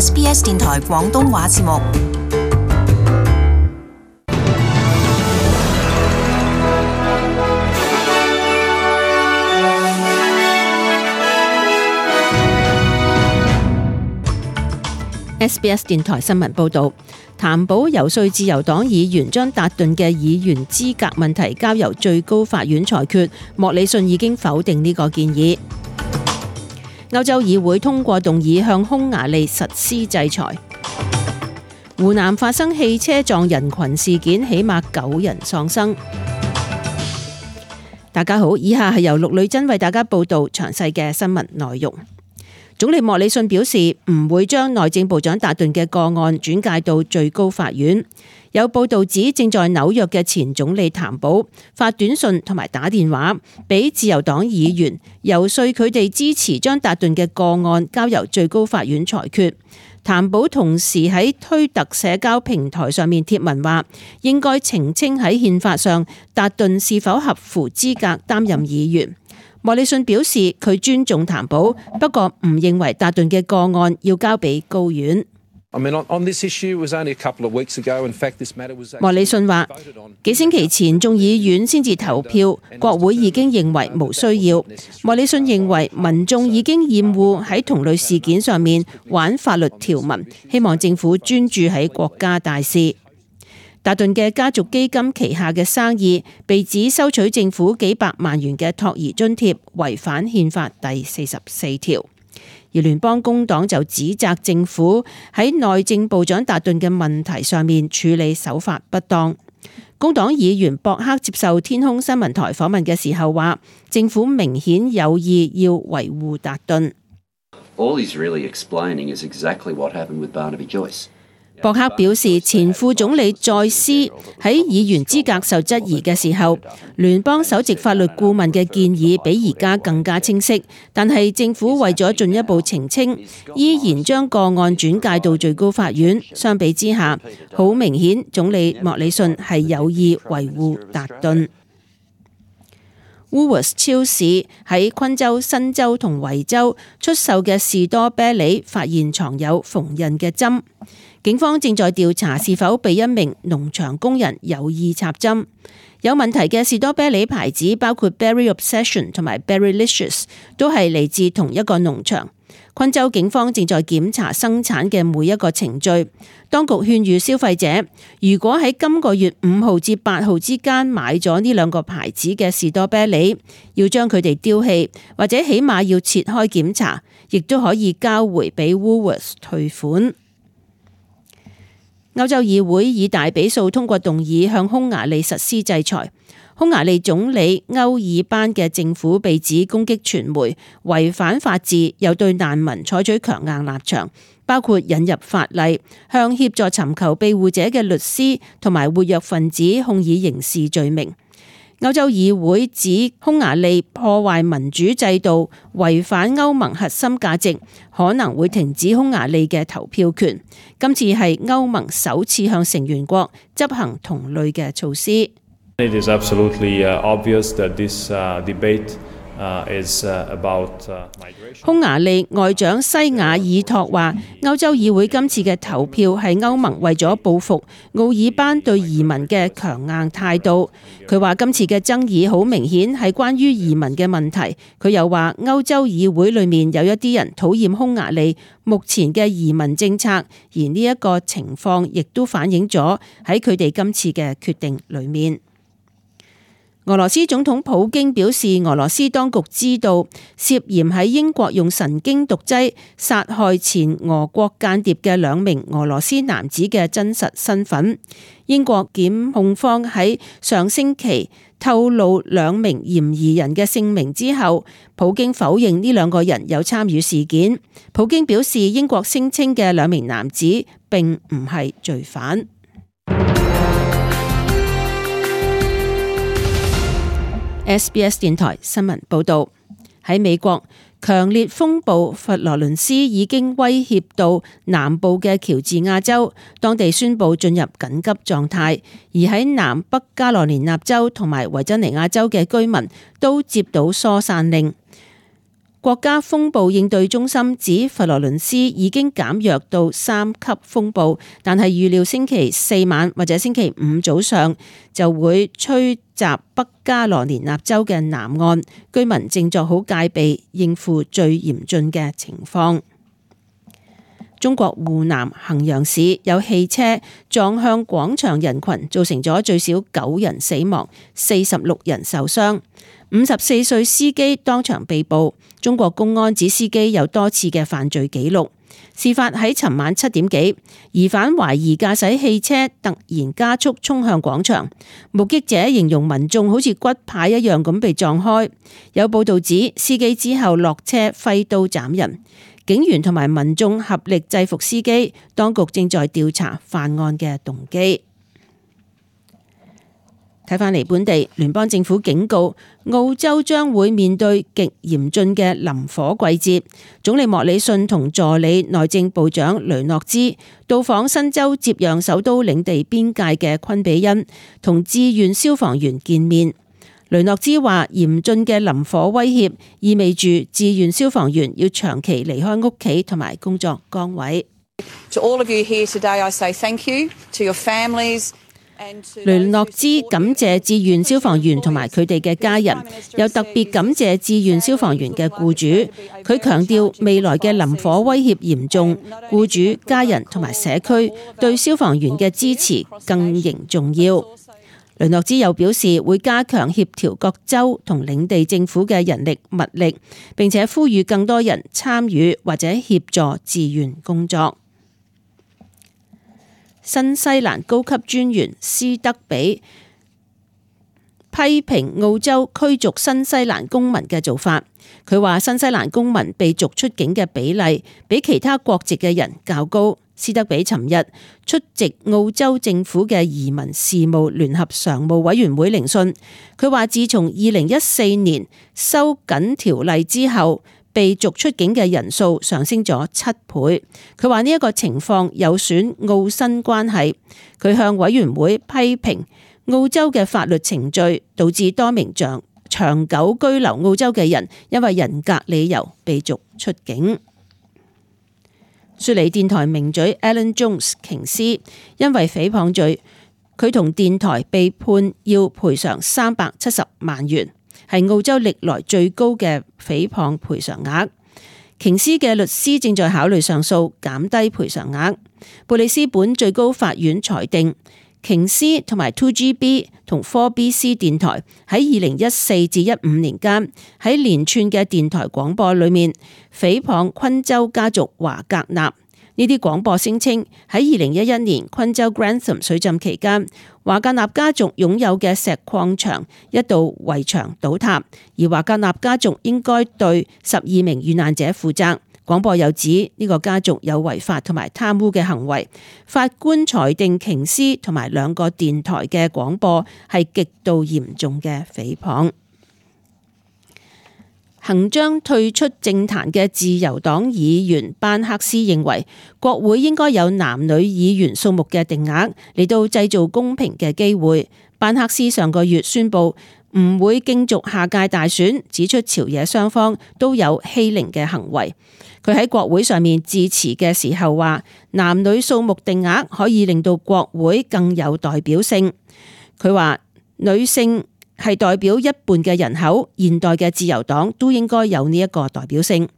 SBS 電台廣東話節目。SBS 電台新聞報導，譚寶遊說自由黨議員將達頓嘅議員資格問題交由最高法院裁決，莫里遜已經否定呢個建議。歐洲議會通過動議向匈牙利實施制裁。湖南發生汽車撞人群事件，起碼9人喪生。大家好，以下係由陸女真為大家報導詳細嘅新聞內容。總理莫里遜表示唔會將內政部長達頓嘅個案轉介到最高法院。有報道指，正在紐約嘅前總理譚寶發短信同埋打電話俾自由黨議員，遊說佢哋支持將達頓嘅個案交由最高法院裁決。譚寶同時喺推特社交平台上面貼文話，應該澄清喺憲法上達頓是否合乎資格擔任議員。莫里遜表示佢尊重譚寶，不過唔認為達頓嘅個案要交俾高院。莫里遜話，幾星期前眾議院先至投票，國會已經認為無需要。莫里遜認為民眾已經厭惡喺同類事件上面玩法律條文，希望政府專注喺國家大事。達頓嘅家族基金旗下嘅生意被指收取政府幾百萬元嘅托兒津貼，違反憲法第44條。而聯邦工黨就指責政府喺內政部長達頓嘅問題上面處理手法不當。工黨議員博克接受天空新聞台訪問嘅時候話，政府明顯有意要維護達頓。博克表示，前副總理再斯喺議員資格受質疑嘅時候，聯邦首席法律顧問嘅建議比而家更加清晰，但係政府為咗進一步澄清，依然將個案轉介到最高法院。相比之下，好明顯總理莫里遜係有意維護達頓。Woolworths 超市喺昆州、新州同維州出售嘅士多啤梨發現藏有縫紉嘅針。警方正在調查是否被一名農場工人有意插針。有問題嘅士多啤梨牌子包括 Berry Obsession 同埋 Berrylicious， 都係嚟自同一個農場。昆州警方正在檢查生產嘅每一個程序。當局勸喻消費者，如果喺今個月5號至8號之間買咗呢兩個牌子嘅士多啤梨，要將佢哋丟棄，或者起碼要切開檢查，亦都可以交回俾 Woolworths 退款。歐洲議會以大比數通過動議向匈牙利實施制裁。匈牙利總理歐爾班嘅政府被指攻擊傳媒，違反法治，又對難民採取強硬立場，包括引入法例，向協助尋求庇護者嘅律師同埋活躍分子控以刑事罪名。歐洲議會指匈牙利破壞民主制度，違反歐盟核心價值，可能會停止匈牙利嘅投票權。今次係歐盟首次向成員國執行同類嘅措施。It is absolutely obvious that this debate is about migration. 匈牙利外長西雅爾托話，歐洲議會今次嘅投票係歐盟為咗報復奧爾班對移民嘅強硬態度。佢話今次嘅爭議好明顯係關於移民嘅問題。佢又話歐洲議會裏面有一啲人討厭匈牙利目前嘅移民政策，而呢一個情況亦都反映咗喺佢哋今次嘅決定裏面。俄羅斯總統普京表示，俄羅斯當局知道涉嫌喺英國用神經毒劑殺害前俄國間諜嘅2名俄羅斯男子嘅真實身份。英國檢控方喺上星期透露2名嫌疑人嘅姓名之後，普京否認呢2個人有參與事件。普京表示，英國聲稱嘅2名男子並唔係罪犯。SBS 電台新聞報導，喺美國，強烈風暴佛羅倫斯已經威脅到南部嘅喬治亞州，當地宣布進入緊急狀態。而喺南北加羅連納州同埋維珍尼亞州嘅居民都接到疏散令。國家風暴應對中心指佛羅倫斯已經減弱到3級風暴，但係預料星期四晚或者星期五早上就會吹襲北加羅連納州嘅南岸，居民正作好戒備，應付最嚴峻嘅情況。中國湖南衡陽市有汽車撞向廣場人群，造成咗最少9人死亡、46人受傷。54歲司機當場被捕。中國公安指司機有多次嘅犯罪記錄。事發喺尋晚7點幾，疑犯懷疑駕駛汽車突然加速衝向廣場，目擊者形容民眾好似骨牌一樣咁被撞開。有報道指司機之後落車揮刀斬人，警員同埋民眾合力制服司機，當局正在調查犯案嘅動機。睇返嚟本地，聯邦政府警告澳洲將會面對極嚴峻嘅林火季節。總理莫里遜同助理內政部長雷諾茲到訪新州接壤首都領地邊界嘅昆比恩，同志願消防員見面。雷諾茲話：嚴峻嘅林火威脅意味住志願消防員要長期離開屋企同埋工作崗位。To all of you here today, I say thank you to your families. 雷諾茲感謝志願消防員同埋佢哋嘅家人，又特別感謝志願消防員嘅僱主。佢強調未來嘅林火威脅嚴重，僱主、家人同埋社區對消防員嘅支持更形重要。雷諾茲又表示會加強協調各州同領地政府嘅人力物力，並且呼籲更多人參與或者協助志願工作。新西蘭高級專員斯德比批評澳洲驅逐新西蘭公民嘅做法。佢話新西蘭公民被逐出境嘅比例比其他國籍嘅人較高。斯德比尋日出席澳洲政府嘅移民事務聯合常務委員會聆訊，佢話自從2014年收緊條例之後，被逐出境嘅人數上升咗7倍。佢話呢一個情況有損澳新關係。佢向委員會批評澳洲嘅法律程序導致多名長久居留澳洲嘅人因為人格理由被逐出境。雪梨電台名嘴 Alan Jones 瓊斯因為誹謗罪，佢同電台被判要賠償370萬元。係澳洲歷來最高嘅誹謗賠償額。瓊斯嘅律師正在考慮上訴，減低賠償額。布里斯本最高法院裁定，瓊斯同埋 2GB 同 4BC 電台喺2014至15年間喺連串嘅電台廣播裏面誹謗昆州家族華格納。呢啲廣播聲稱喺2011年昆州 Grantham 水浸期間，華格納家族擁有嘅石礦場一度圍牆倒塌，而華格納家族應該對12名遇難者負責。廣播又指呢個家族有違法同埋貪污嘅行為。法官裁定瓊斯同埋2個電台嘅廣播係極度嚴重嘅誹謗。行將退出政壇嘅自由黨議員班克斯認為，國會應該有男女議員數目嘅定額嚟到製造公平嘅機會。班克斯上個月宣布唔會競逐下屆大選，指出朝野雙方都有欺凌嘅行為。佢喺國會上面致辭嘅時候話，男女數目定額可以令到國會更有代表性。佢話女性係代表一半嘅人口，現代嘅自由黨都應該有呢一個代表性。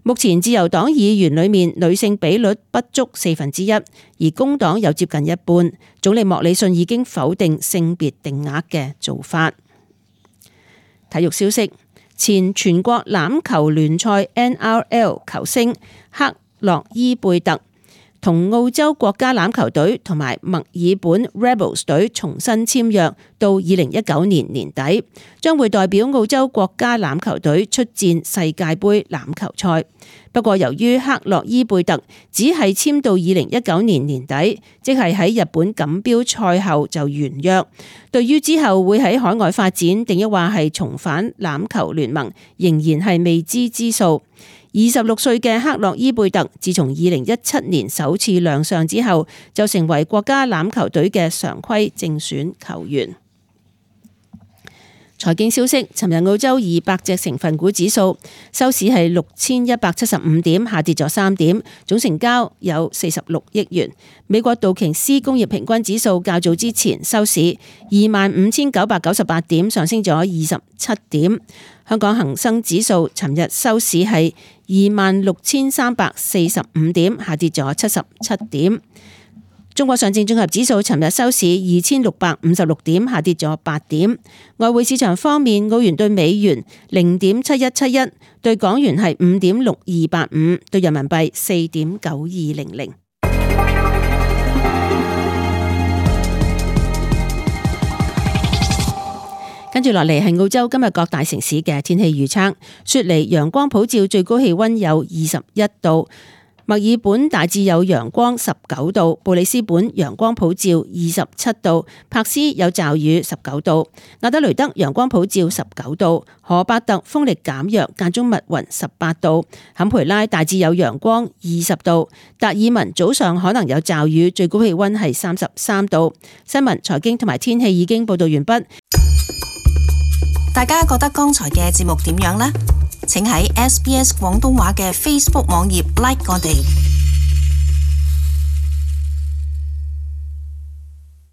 目前自由黨議員裏面女性比率不足1/4，而工黨有接近一半。總理莫里遜已經否定性別定額嘅做法。體育消息，前全國欖球聯賽 NRL 球星克洛伊貝特同澳洲國家欖球隊同埋墨爾本 Rebels 隊重新簽約到2019年年底，將會代表澳洲國家欖球隊出戰世界盃欖球賽。不過由於克洛伊貝特只係簽到2019年年底，即係喺日本錦標賽後就完約，對於之後會喺海外發展定抑或係重返欖球聯盟，仍然係未知之數。26歲嘅克洛伊貝特自從2017年首次亮相之後，就成為國家欖球隊嘅常規正選球員。財經消息，尋日澳洲200隻成分股指數收市係6175點，下跌咗3點，總成交有46億元。美國道瓊斯工業平均指數較早之前收市25,998點，上升咗27點。香港恒生指數尋日收市係26,345點，下跌咗77點。中國上證綜合指數尋日收市2,656點，下跌咗8點。外匯市場方面，澳元對美元0.7171，對港元係5.6285，對人民幣4.9200。跟住落嚟係澳洲今日各大城市嘅天氣預測。雪梨陽光普照，最高氣溫有21度。墨爾本大致有陽光19度，布里斯本陽光普照27度，柏斯有驟雨19度，亞德雷德陽光普照19度，荷伯特風力減弱，間中密雲18度，坎培拉大致有陽光20度，達爾文早上可能有驟雨，最高氣溫係33度。新聞、財經同埋天氣已經報道完畢。大家覺得剛才嘅節目點樣呢？請喺SBS 廣東話嘅 Facebook 網頁 like 我哋。